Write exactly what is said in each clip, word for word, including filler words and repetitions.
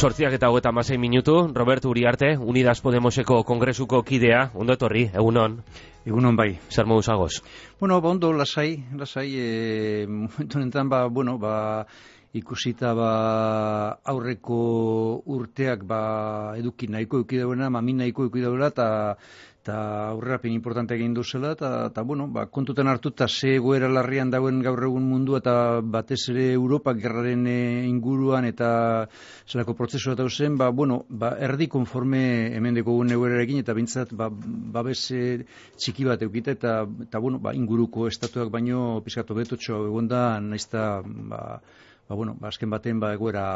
Sortziak eta hogeta hamasei minutu, Roberto Uriarte, Unidas Podemoseko kongresuko kidea, ondo etorri, egunon. Egunon bai. Zer modu zagoz? Bueno, ba, ondo, lasai, lasai, e, momentu honetan, ba, bueno, ba, ikusita, ba, aurreko urteak, ba, eduki nahiko eduki dauena, mamin nahiko eduki dauela, eta eta aurrerapen importante egin duzela, eta, bueno, ba, kontutan hartu, eta ze egoera larrian dauen gaur egun mundua, eta batez ere Europa gerraren e, inguruan, eta zelako prozesua dauzen, ba, bueno, ba, erdi konforme hemen dekogun egoerarekin, eta bintzat, ba, babes e, txiki bat eukita, eta, eta bueno, ba, inguruko estatuak baino pizkatu betotxo egonda, naizta, ba, ba, bueno, ba, azken baten, ba, egoera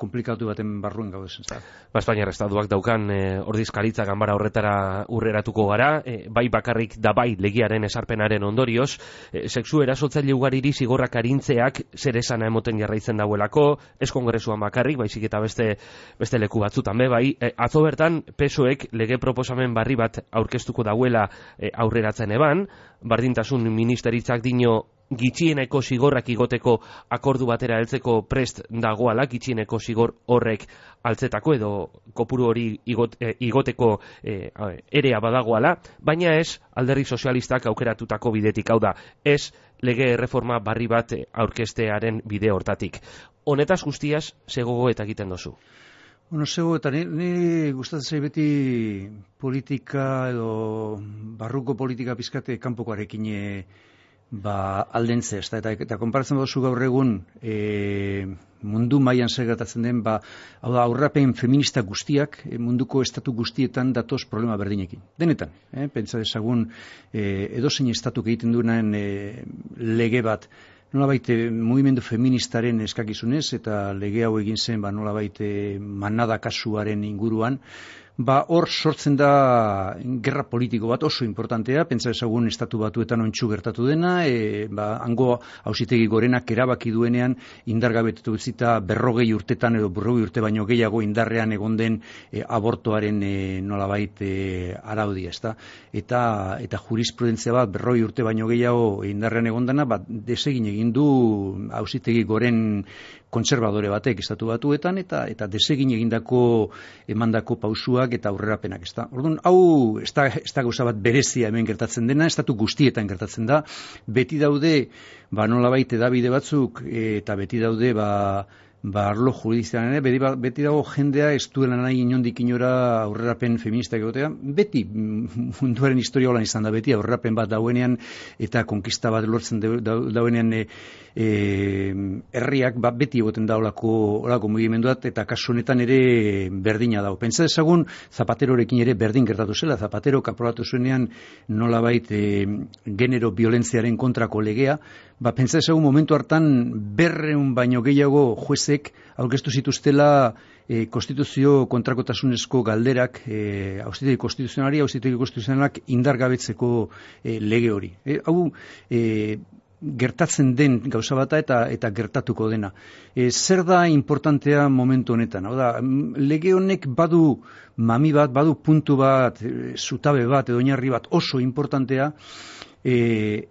komplikatu baten barruen gaudezen. Ba, Espainiar estatuak daukan e, ordizkaritza ganbara horretara urreratuko gara, e, bai bakarrik da bai legiaren esarpenaren ondorioz, e, sexu erasotzaile ugariri zigorrak arintzeak zer esana emoten jarraitzen dauelako, ez kongresuan bakarrik, baizik eta beste beste leku batzutan be, bai, e, atzo bertan P S O Ek lege proposamen barri bat aurkeztuko dauela e, aurreratzen eban, bardintasun ministeritzak dino gitxieneko zigorrak igoteko akordu batera heltzeko prest dagoala, gitxieneko zigor horrek altzetako edo kopuru hori igot, e, igoteko e, erea badagoala, baina ez alderdi sozialistak aukeratutako bidetik, hau da, ez lege erreforma barri bat aurkestearen bide hortatik. Honetaz guztiaz, zegogo eta egiten dozu? Bueno, zego, eta nire gustatzen beti politika edo barruko politika pizkate kanpokoarekin e, ba, aldentze, eta, eta, eta konparatzen dozu gaur egun e, mundu mailan zer gertatzen den, ba, hau da, aurrapen feminista guztiak e, munduko estatu guztietan datoz problema berdinekin. Denetan, eh? Pentsa dezagun e, edozein estatuk egiten duenan e, lege bat, nolabait mugimendu feministaren eskakizunez, eta lege hau egin zen, ba, nolabait manada kasuaren inguruan, ba, hor sortzen da gerra politiko bat oso importantea, pentsa ezagun estatu batuetan ontsu gertatu dena, e, ba, hango auzitegi gorenak erabaki duenean indargabetu utzita berrogei urtetan edo berrogei urte baino gehiago indarrean egon den e, abortoaren e, nolabait e, araudia, ezta? Eta, eta jurisprudentzia bat berrogei urte baino gehiago indarrean egon dena, ba, desegin egin du auzitegi goren kontserbadore batek estatu batuetan, eta eta desegin egindako emandako pausuak eta aurrerapenak, ezta. Orduan, hau ez da, ez da gauza bat berezia hemen gertatzen dena, estatu guztietan gertatzen da, beti daude, ba nolabait hedabide batzuk, eta beti daude, ba, ba arlo judizialan ere, beti, beti dago jendea ez duela nahi inondik inora aurrerapen feministak egotea, beti munduaren historia holan izan da, beti aurrerapen bat dauenean eta konkista bat lortzen dauenean e, e, herriak, ba, beti egoten da olako, olako mugimenduat, eta kasu honetan ere berdina dago. Pentsa dezagun Zapaterorekin ere berdin gertatu zela, Zapatero kaprolatu zuenean nolabait e, genero violentziaren kontrako legea, ba, pentsa dezagun momentu hartan berreun baino gehiago juezek aurkeztu zituztela e, konstituzio kontrakotasunezko galderak e, auzitegi konstituzionalari, auzitegi konstituzionalak indargabetzeko e, lege hori. E, hau e, gertatzen den gauza bata eta eta gertatuko dena. E, zer da importantea momentu honetan? Hau da, lege honek badu mami bat, badu puntu bat, e, zutabe bat, edo oinarri bat oso importantea, e,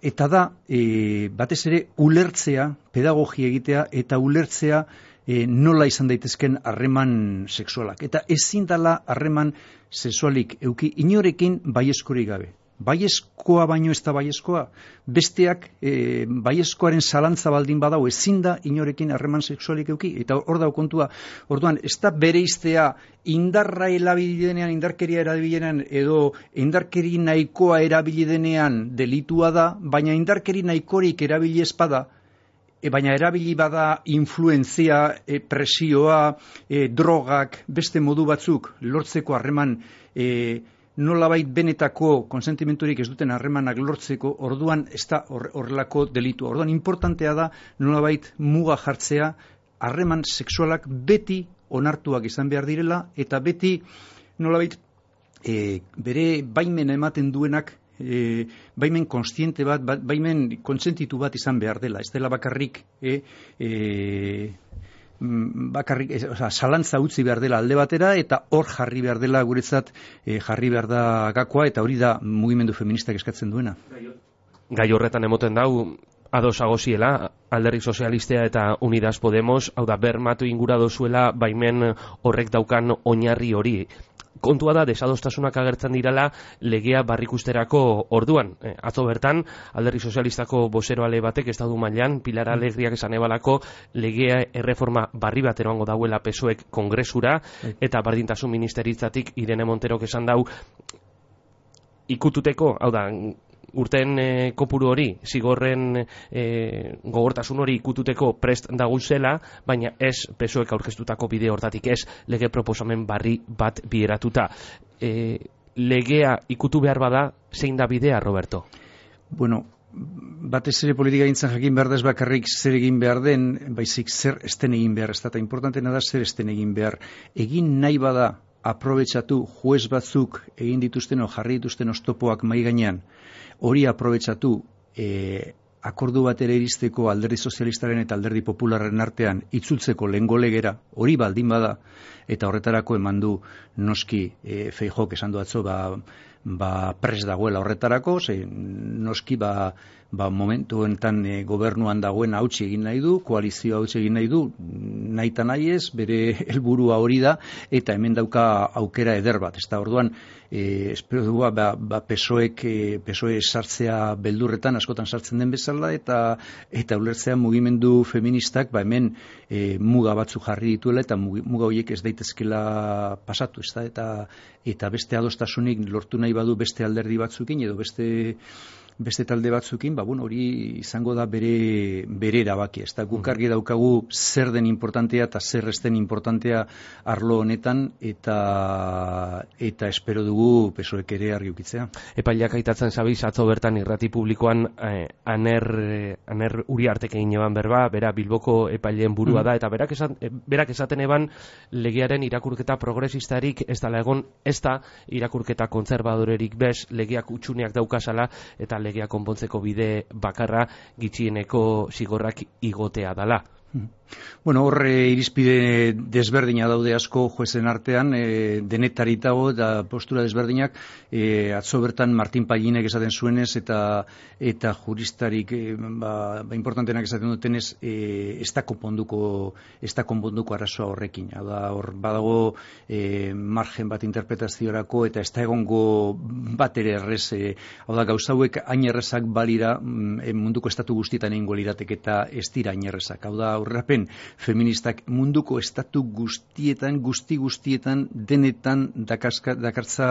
eta da, e, batez ere ulertzea, pedagogia egitea, eta ulertzea E, nola izan daitezken harreman sexualak. Eta ezin dela harreman sexualik euki inorekin baiezkorik gabe. Baiezkoa baino ez da baiezkoa. Besteak e, baiezkoaren zalantza baldin badau ezin da inorekin harreman sexualik euki. Eta hor dau kontua. Orduan, ez da bereiztea indarra erabilidenean, indarkeria erabilidenean edo indarkeri nahikoa erabilidenean delitua da, baina indarkeri nahikorik erabili espada, E, baina erabili bada influenzia, e, presioa, e, drogak, beste modu batzuk lortzeko harreman, e, nolabait benetako konsentimenturik ez duten harremanak lortzeko, orduan ez da horrelako delitu. Orduan importantea da nolabait muga jartzea, harreman sexualak beti onartuak izan behar direla, eta beti nolabait e, bere baimena ematen duenak, E, baimen konstiente bat, baimen kontsentitu bat izan behar dela, ez dela bakarrik e, e, bakarrik, e, oza, zalantza utzi behar dela alde batera, eta hor jarri behar dela guretzat e, jarri behar da gakoa, eta hori da mugimendu feministak eskatzen duena. Gai horretan emoten dau, ados agoziela, Alderdi Sozialistea eta Unidas Podemos, hau da, bermatu ingura dozuela baimen horrek daukan oinarri hori. Kontua da, desadostasunak agertzen dirala legea barrikusterako orduan. Eh, atzo bertan, Alderdi Sozialistako bozeroale batek estadu mailan, Pilar Alegriak esan ebalako, legea erreforma barri bat eroango dauela P S O Ek kongresura, eta bardintasun ministeritzatik Irene Monterok esan dau, ikututeko, hau da, urten e, kopuru hori, zigorren e, gogortasun hori ikututeko prest daguzela, baina ez P S O Ek aurkeztutako bide hortatik, ez lege proposamen barri bat bideratuta. E, legea ikutu behar bada, zein da bidea, Roberto? Bueno, batez ere politika gintzen jakin behar da ez bakarrik zer egin behar den, baizik zer esten egin behar, ez da, importantena da zer esten egin behar. Egin nahi bada, aprobetxatu juez batzuk egin dituzten o jarri dituzten oztopoak mai gainean, hori aprobetxatu e, akordu batera iristeko Alderdi Sozialistaren eta Alderdi Popularren artean itzultzeko lehengo legera, hori baldin bada, eta horretarako eman du noski e, Feijóok esan du atzo, ba, ba pres dagoela horretarako, ze noski ba, ba momentu enten e, gobernuan dagoen hautsi egin nahi du, koalizioa hautsi egin nahi du, nahi eta nahi ez, bere helburua hori da, eta hemen dauka aukera eder bat. Ez da, orduan, e, espero dugu, ba, ba P S O Ek, e, P S O E sartzea beldurretan, askotan sartzen den bezala, eta eta ulertzea mugimendu feministak, ba hemen e, muga batzu jarri dituela, eta muga horiek ez daitezkela pasatu, ez da, eta, eta beste adostasunik lortu nahi badu beste alderdi batzukin, edo beste beste talde batzukin, ba, bueno, hori izango da bere, bere erabaki. Ez da, guk argi daukagu zer den importantea eta zer ez den importantea arlo honetan, eta eta espero dugu P S O Ek ere argi ukitzea. Epaileak aitatzen zabiz, atzo bertan irrati publikoan eh, aner, eh, aner Uriartek egin eban berba, bera Bilboko epaileen burua da, eta berak, esan, berak esaten eban legearen irakurketa progresistarik ez dala egon, ez da irakurketa kontserbadorerik bez, legeak utxuneak daukasala, eta legea konpontzeko bide bakarra gitxieneko zigorrak igotea dala. Bueno, horre irizpide desberdina daude asko juezen artean, e, denetaritago eta postura desberdinak, e, atzo bertan Martin Paginek esaten zuenez eta eta juristarik e, ba, ba importantenak esaten dutenez, e, ez da konponduko ez da konponduko arazoa horrekin. Hau da, hor badago e, margen bat interpretaziorako eta ez da egongo bat ere errez, e, hau da, gauza hauek hain errezak balira e, munduko estatu guztietan egingo lirateke eta ez dira hain errezak. Hau da, aurrerapen feministak munduko estatu guztietan, guzti guztietan, denetan dakarska, dakartza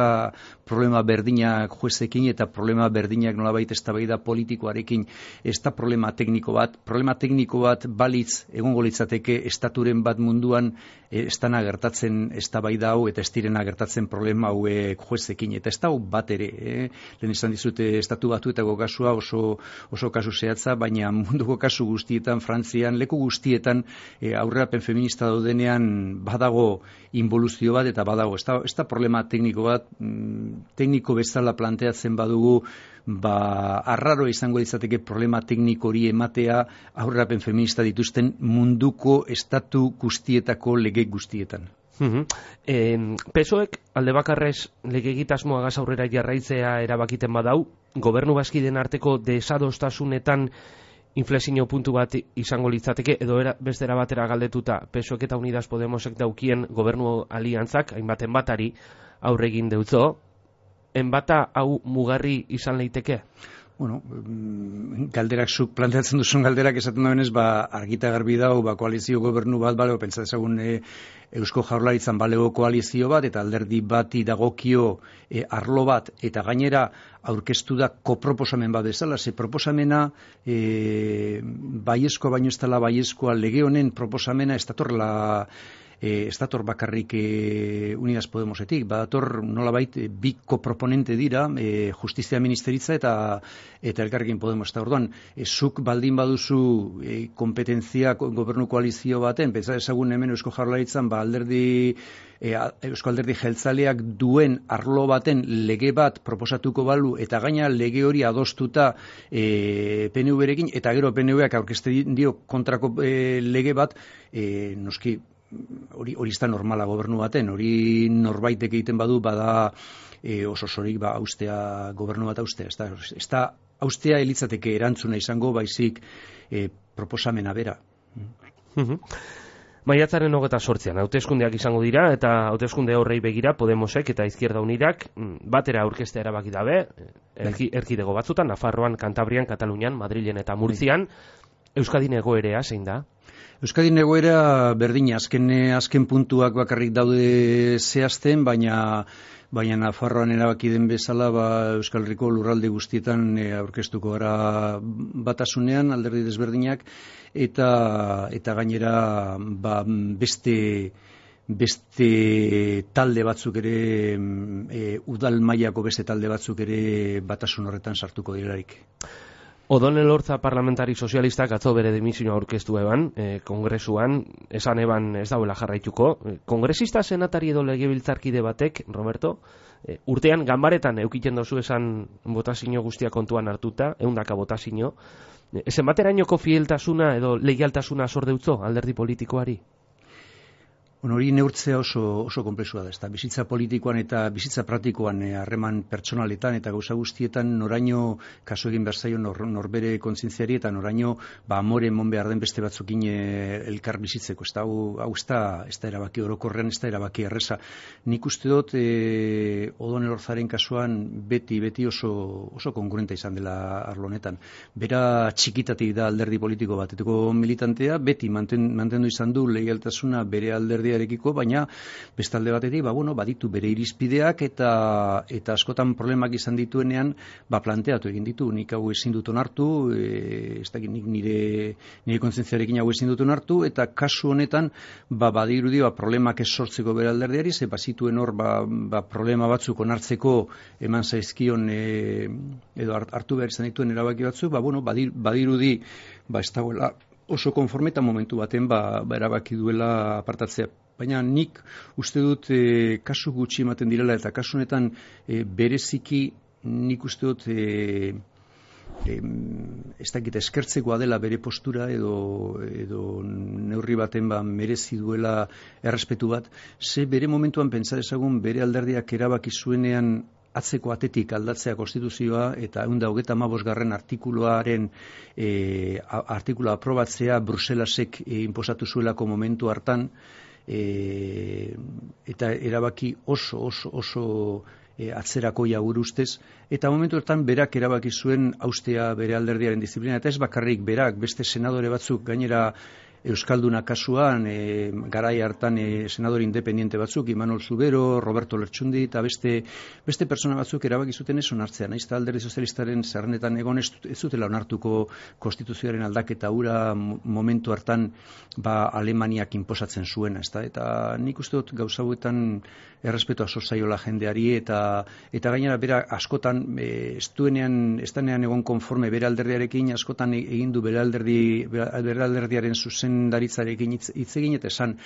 problema berdinak juezekin eta problema berdinak nolabait eztabaida politikoarekin. Ez da problema tekniko bat, problema tekniko bat balitz egongo litzateke estaturen bat munduan e, ez dana gertatzen eztabaida hau eta ez direna gertatzen problema hauek juezekin. Eta ez da bat ere, eh? Lehen izan dizute estatu batuetako kasua oso, oso kasu zehatza, baina munduko kasu guztietan, Frantzian, leku guztietan E, aurrerapen feminista daudenean badago involuzio bat eta badago, ez da, ez da problema tekniko bat, mm, tekniko bezala planteatzen badugu, ba, arraro izango ditzateke problema tekniko hori ematea aurrerapen feminista dituzten munduko estatu guztietako lege guztietan. Uh-huh. eh, P S O Ek alde bakarrez legegitasmoagaz aurrera jarraitzea erabakiten badau, gobernu bazkideen arteko desadostasunetan inflexio puntu bat izango litzateke, edo era, bestera batera galdetuta P S O Ek eta Unidas Podemosek daukien gobernu aliantzak, hainbaten batari aurregin deutzo, enbata hau mugarri izan leiteke? Bueno, galderak zuk planteatzen duzun galderak esaten dabenez, ba, argita garbi dau, ba, koalizio gobernu bat, balego, pentsa dezagun e, Eusko Jaurlaritzan balego koalizio bat, eta alderdi bati dagokio e, arlo bat, eta gainera aurkeztu da koproposamen bat bezala, ze proposamena e, baiezkoa baino ez dela baiezkoa lege honen proposamena ez datorla ez dator bakarrik e, Unidas Podemosetik, badator nolabait e, bi koproponente dira, e, Justizia Ministeritza eta eta Elkarrekin Podemos. Eta orduan, e, zuk baldin baduzu e, kompetentzia gobernu koalizio baten, pentsa ezagun hemen Eusko Jaurlaritzan, ba alderdi e, Eusko Alderdi Jeltzaleak duen arlo baten lege bat proposatuko balu, eta gaina lege hori adostuta e, P N V-rekin, eta gero P N V-ak aurkezten dio kontrako e, lege bat, e, noski, hori hori ez da normala gobernu baten, hori norbaitek egiten badu bada e, oso sorik ba austea gobernu bat austea, ez da, ez da austea elitzateke erantzuna izango baizik e, proposamena bera. Maiatzaren hogeta sortzean, hauteskundeak izango dira, eta hauteskunde horrei begira Podemosek eta Izquierda Unidak batera aurkeztea erabaki dabe, erki, erkidego batzutan, Nafarroan, Kantabrian, Katalunian, Madrilen eta Murtzian. Euskadin egoerea zein da? Euskadin egoera berdina, azken, azken puntuak bakarrik daude zehazten, baina baina Nafarroan erabaki den bezala ba, Euskal Herriko lurralde guztietan e, aurkeztuko gara batasunean, alderdi desberdinak, eta eta gainera ba, beste beste talde batzuk ere e, udal mailako beste talde batzuk ere batasun horretan sartuko direlarik. Odon Elorza parlamentari sozialistak atzo bere dimisioa aurkeztu eban, e, kongresuan, esan eban ez dauela jarraituko. Kongresista senatari edo legebiltzarkide batek, Roberto, e, urtean ganbaretan eukiten dozu esan botazio guztia kontuan hartuta, ehundaka botazio. E, zenbaterainoko fieltasuna edo leialtasuna zor deutzo alderdi politikoari? Bueno, hori neurtzea oso, oso konplexua da, ezta bizitza politikoan eta bizitza praktikoan harreman eh, pertsonaletan eta gauza guztietan noraino kasu egin behar zaio nor, norbere kontzientziari eta noraino ba, amore mon behar den beste batzukin eh, elkar bizitzeko, ezta hau, hau ez da, ez da erabaki orokorrean, ez da erabaki erreza. Nik uste dut eh, Odon Elorzaren kasuan beti, beti oso, oso kongruenta izan dela arlo honetan. Bera txikitatik da alderdi politiko bateteko militantea, beti manten, mantendu izan du leialtasuna bere alderdi arekiko, baina bestalde batetik ba, bueno, baditu bere irizpideak eta eta askotan problemak izan dituenean ba, planteatu egin ditu, nik hau ezin dut onartu, e, ez dakit nik nire, nire kontzientziarekin hau ezin dut onartu, eta kasu honetan ba, badirudi ba, problemak ez sortzeko bere alderdiari, ze bazituen hor ba, ba, problema batzuk onartzeko eman zaizkion e, edo hartu behar izan dituen erabaki batzuk, ba, bueno, badir, badirudi ba, ez dagoela oso konforme eta momentu baten ba, ba erabaki duela apartatzea. Baina nik uste dut e, kasu gutxi ematen direla eta kasu honetan e, bereziki nik uste dut e, e, ez dakit eskertzekoa dela bere postura edo, edo neurri baten ba, merezi duela errespetu bat. Ze bere momentuan pentsa dezagun bere alderdiak erabaki zuenean atzeko atetik aldatzea konstituzioa eta ehun eta hogeita hamabosgarren artikuluaren e, artikulua aprobatzea Bruselasek e, inposatu zuelako momentu hartan e, eta erabaki oso oso oso e, atzerakoia gure ustez, eta momentu hortan berak erabaki zuen haustea bere alderdiaren disiplina, eta ez bakarrik berak, beste senadore batzuk gainera Euskalduna kasuan, e, garai hartan e, senador independiente batzuk, Imanol Zubero, Roberto Lertxundi eta beste beste persona batzuk erabaki zuten ez onartzea. Naiz eta alderdi sozialistaren zerrenetan egon ez, ez zutela onartuko konstituzioaren aldaketa hura momentu hartan ba, Alemaniak inposatzen zuena, ezta? Eta nik uste dut gauza hauetan errespetua zozaiola jendeari eta eta gainera bera askotan e, ez duenean, ez denean egon konforme bere alderdiarekin, askotan egin du bere alderdi bere alderdiaren zuzendaritzarekin hitz egin eta esan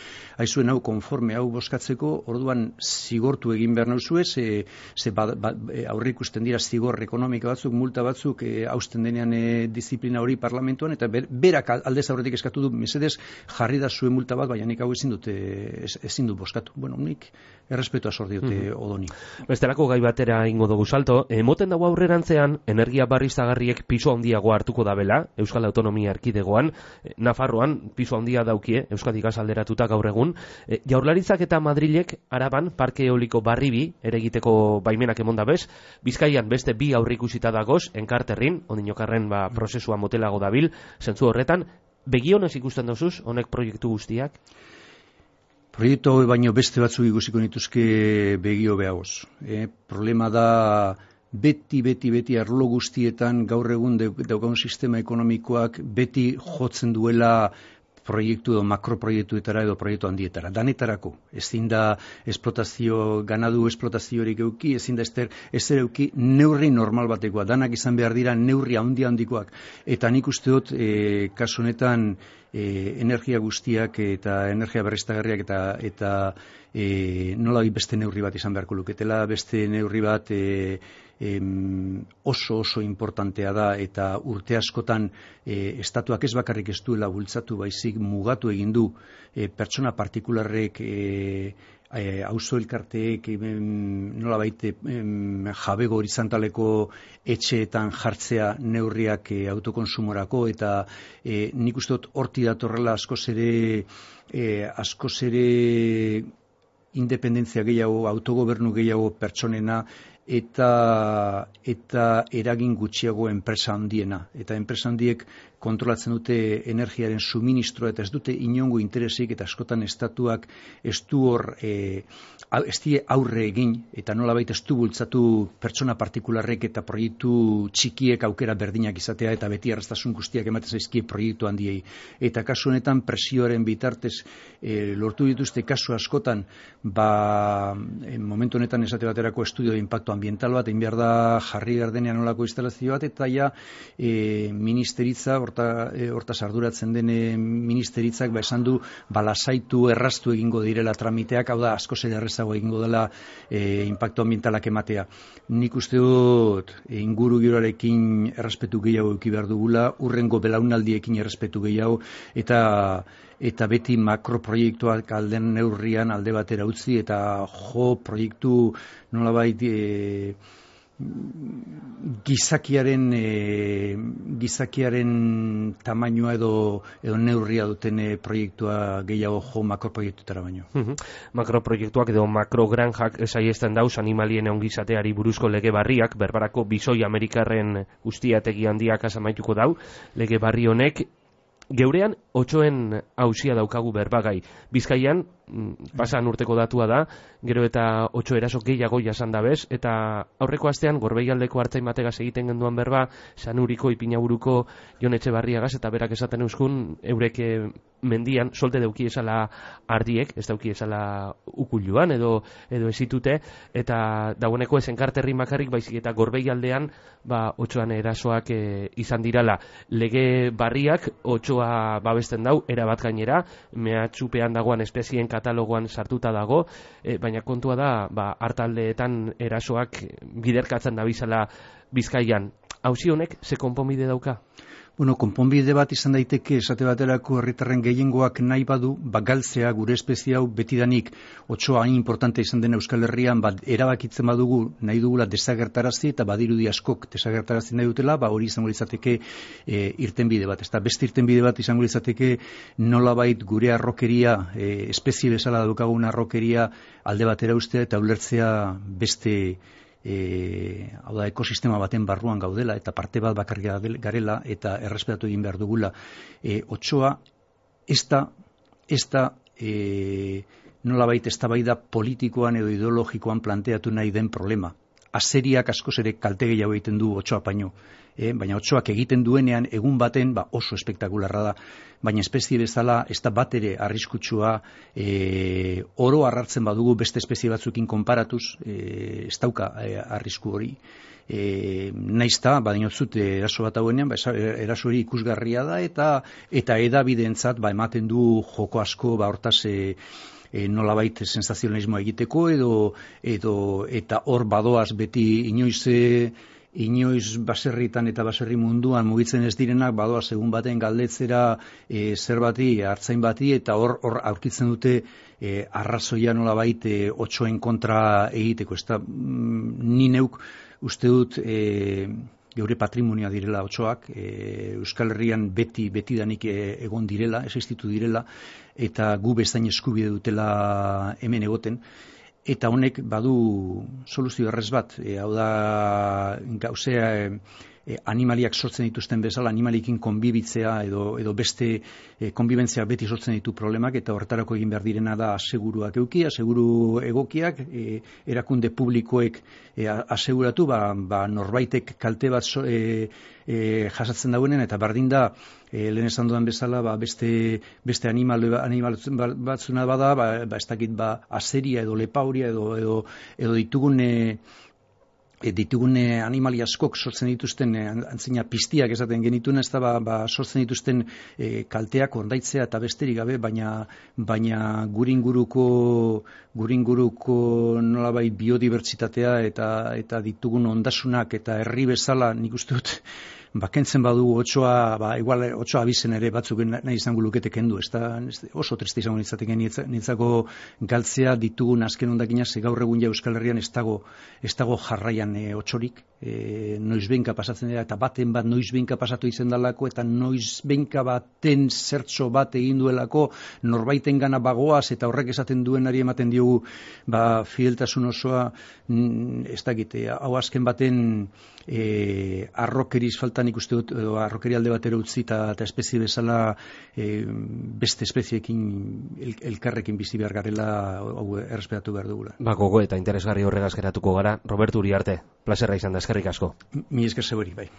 aizuen hau konforme hau boskatzeko, orduan zigortu egin behar nauzue, ze, ze ba, ba, aurre ikusten dira zigor ekonomika batzuk, multa batzuk e, hausten denean e, disiplina hori parlamentuan, eta ber, berak aldez aurretik eskatu du, mesedez jarri da zuen multa bat, baina nik hau ezin dut ez, ezin dut boskatu. Bueno, nik errespetua sor diote mm-hmm. Odoni. Bestelako gai batera ingo dugu salto, emoten dago aurrerantzean energia berriztagarriek pisu handiago hartuko dabela Euskal Autonomia Erkidegoan, Nafarroan pisu handia daukie Euskadi gaz alderatuta gaur egun. E, Jaurlaritzak eta Madrilek Araban parke eoliko barribi ere egiteko baimenak emonda bez, Bizkaian beste bi aurreikusita dagoz, Enkarterrin, ondinokarren ba, prozesua motelago dabil, zentzu horretan, begionez ikusten dozuz, honek proiektu guztiak? Proiektu hau baino beste batzuk ikusiko nituzke begio behagoz. E, problema da beti, beti, beti arlo guztietan gaur egun daukagun sistema ekonomikoak beti jotzen duela proiektu edo makroproiektuetara edo proiektu handietara. Danetarako, ezin da esplotazio, ganadu esplotaziorik euki, ezin da ester, ezer euki neurri normal batekoa. Danak izan behar dira neurri handi handikoak. Eta nik uste dut, e, kasu honetan, e, energia guztiak eta energia berriztagarriak eta, eta e, nola beste neurri bat izan beharko luketela, beste neurri bat e, em, oso oso importantea da eta urte askotan e, estatuak ez bakarrik ez duela bultzatu baizik mugatu egin du e, pertsona partikularrek e, auzo elkarteek nolabait jabego horizontaleko etxeetan jartzea neurriak e, autokonsumorako, eta e, nik uste dut horti datorrela askoz ere e, askoz ere independentzia gehiago, autogobernu gehiago pertsonena, eta eta eragin gutxiago enpresa handiena. Eta enpresa handiek kontrolatzen dute energiaren suministroa eta ez dute inongo interesik, eta askotan estatuak ez du hor e, ez die aurre egin, eta nolabait ez du bultzatu pertsona partikularrek eta proiektu txikiek aukera berdinak izatea, eta beti erraztasun guztiak ematen zaizkie proiektu handiei. Eta kasu honetan presioaren bitartez e, lortu dituzte kasu askotan, ba momentu honetan esate baterako estudio de impacto ambiental bat, egin behar da jarri gardenean nolako instalazio bat, eta ja e, ministeritza horta, e, hortaz arduratzen den ministeritzak ba esan du balasaitu erraztu egingo direla tramiteak, hau da askoz ere errazago egingo dela e, impacto ambientalak ematea. Nik uste dut e, inguru giroarekin errespetu gehiago eduki behar dugula, urrengo belaunaldiekin errespetu gehiago, eta eta beti makroproiektuak alden neurrian alde batera utzi, eta jo proiektu nolabait e, gizakiaren e, gizakiaren tamainoa edo edo neurria duten e, proiektua gehiago jo makroproiektutara baino. Uh-huh. Makroproiektuak edo makrogranjak saiesten dauz animalien ongizateari buruzko lege barriak, berbarako bisoi amerikarren ustiategi handiak asamaituko dau, lege barri honek geurean otsoen auzia daukagu berbagai. Bizkaian, pasan urteko datua da, gero eta otso eraso gehiago jasan dabez, eta aurreko astean Gorbeialdeko Artzain bategaz egiten genduan berba, Sanuriko Ipinaburuko Jon Etxebarriagaz, eta berak esaten euskun, eurek mendian solte dauki esala ardiek, ez dauki esala ukuluan edo edo ezitute, eta dagoeneko esen karterri makarrik baizik eta Gorbeialdean ba otsoan erasoak e, izan dirala. Lege barriak otsoa babesten dau erabat gainera, mehatxupean dagoan espezien katalogoan sartuta dago, e, baina kontua da ba hartaldeetan erasoak biderkatzen dabizala Bizkaian. Auzi honek ze konponbide dauka? Bueno, konponbide bat izan daiteke esate baterako herritarren gehiengoak nahi badu, ba galtzea gure espezie hau betidanik otsoa hain importante izan den Euskal Herrian, ba erabakitzen badugu nahi dugula desagertarazi, eta badirudi askok desagertarazi nahi dutela, ba hori izango litzateke e, irtenbide bat. Ezta beste irtenbide bat izango litzateke nolabait gure arrokeria, e, espezie bezala daukagun arrokeria alde batera ustea eta ulertzea beste E, hau da, ekosistema baten barruan gaudela, eta parte bat bakarrik garela, eta errespetatu egin behar dugula. E, otsoa ez da, ez da e, nolabait eztabaida politikoan edo ideologikoan planteatu nahi den problema. Azeriak askoz ere kalte gehiago egiten du otsoa baino. E, baina otsoak egiten duenean egun baten ba, oso espektakularra da. Baina espezie bezala ez da bat ere arriskutsua, e, oro harratzen badugu beste espezie batzukin konparatuz, e, ez dauka e, arrisku hori. E, naizta, badin otzut eraso bat hauenean, ba, eraso hori ikusgarria da, eta eta edabideentzat ba, ematen du joko asko ba, hortaz e, E, nolabait sensazionalismoa egiteko edo, edo eta hor badoaz beti inoiz e, inoiz baserritan eta baserri munduan mugitzen ez direnak badoaz egun baten galdetzera e, zer bati, hartzain bati, eta hor hor aurkitzen dute e, arrazoia nolabait e, otsoen kontra egiteko. Ez da, mm, ni neuk uste dut e, geure patrimonioa direla otsoak, e, Euskal Herrian beti betidanik e, egon direla, existitu direla, eta gu bezain eskubide dutela hemen egoten, eta honek badu soluzio errez bat, e, hau da gauzea e, e, animaliak sortzen dituzten bezala, animalikin konbibitzea edo, edo beste e, konbibentzia beti sortzen ditu problemak, eta horretarako egin behar direna da aseguruak euki, aseguru egokiak, e, erakunde publikoek e, aseguratu, ba, ba norbaitek kalte bat so, e, e, jasatzen dauenen, eta bardin da e, lehen esan dudan bezala, ba, beste, beste animal, animal batzuna bada, ba, ba, ez dakit ba, azeria edo lepauria edo, edo, edo ditugun e, E, ditugune animali askok sortzen dituzten e, antzina piztiak esaten genituen, ez da ba, ba, sortzen dituzten e, kalteak ordaitzea eta besterik gabe, baina baina guringuruko guringuruko nolabait biodibertsitatea eta eta ditugun ondasunak eta herri bezala nik uste dut ba, kentzen badu otsoa, ba, igual otsoa abizen ere batzuk nahi izango lukete kendu, ez da oso triste izango nitzateke nitzako galtzea ditugun azken ondakina, ze gaur egun ja Euskal Herrian ez dago, ez dago jarraian e, otsorik, e, noiz behinka pasatzen dira, eta baten bat noiz behinka pasatu izen dalako, eta noiz behinka baten zertxo bat egin duelako, norbaiten gana bagoaz, eta horrek esaten duenari ematen diogu, ba, fideltasun osoa, ez dakite, hau azken baten e, arrokeriz faltan ikuste dut, edo arrokeri alde batera utzi, eta, eta espezie bezala e, beste espezieekin el, elkarrekin bizi behar garela, hau errespetatu behar dugula. Ba, gogo eta interesgarri horregaz geratuko gara. Roberto Uriarte, plazerra izan da, eskerrik asko. Mi esker zeberi, bai.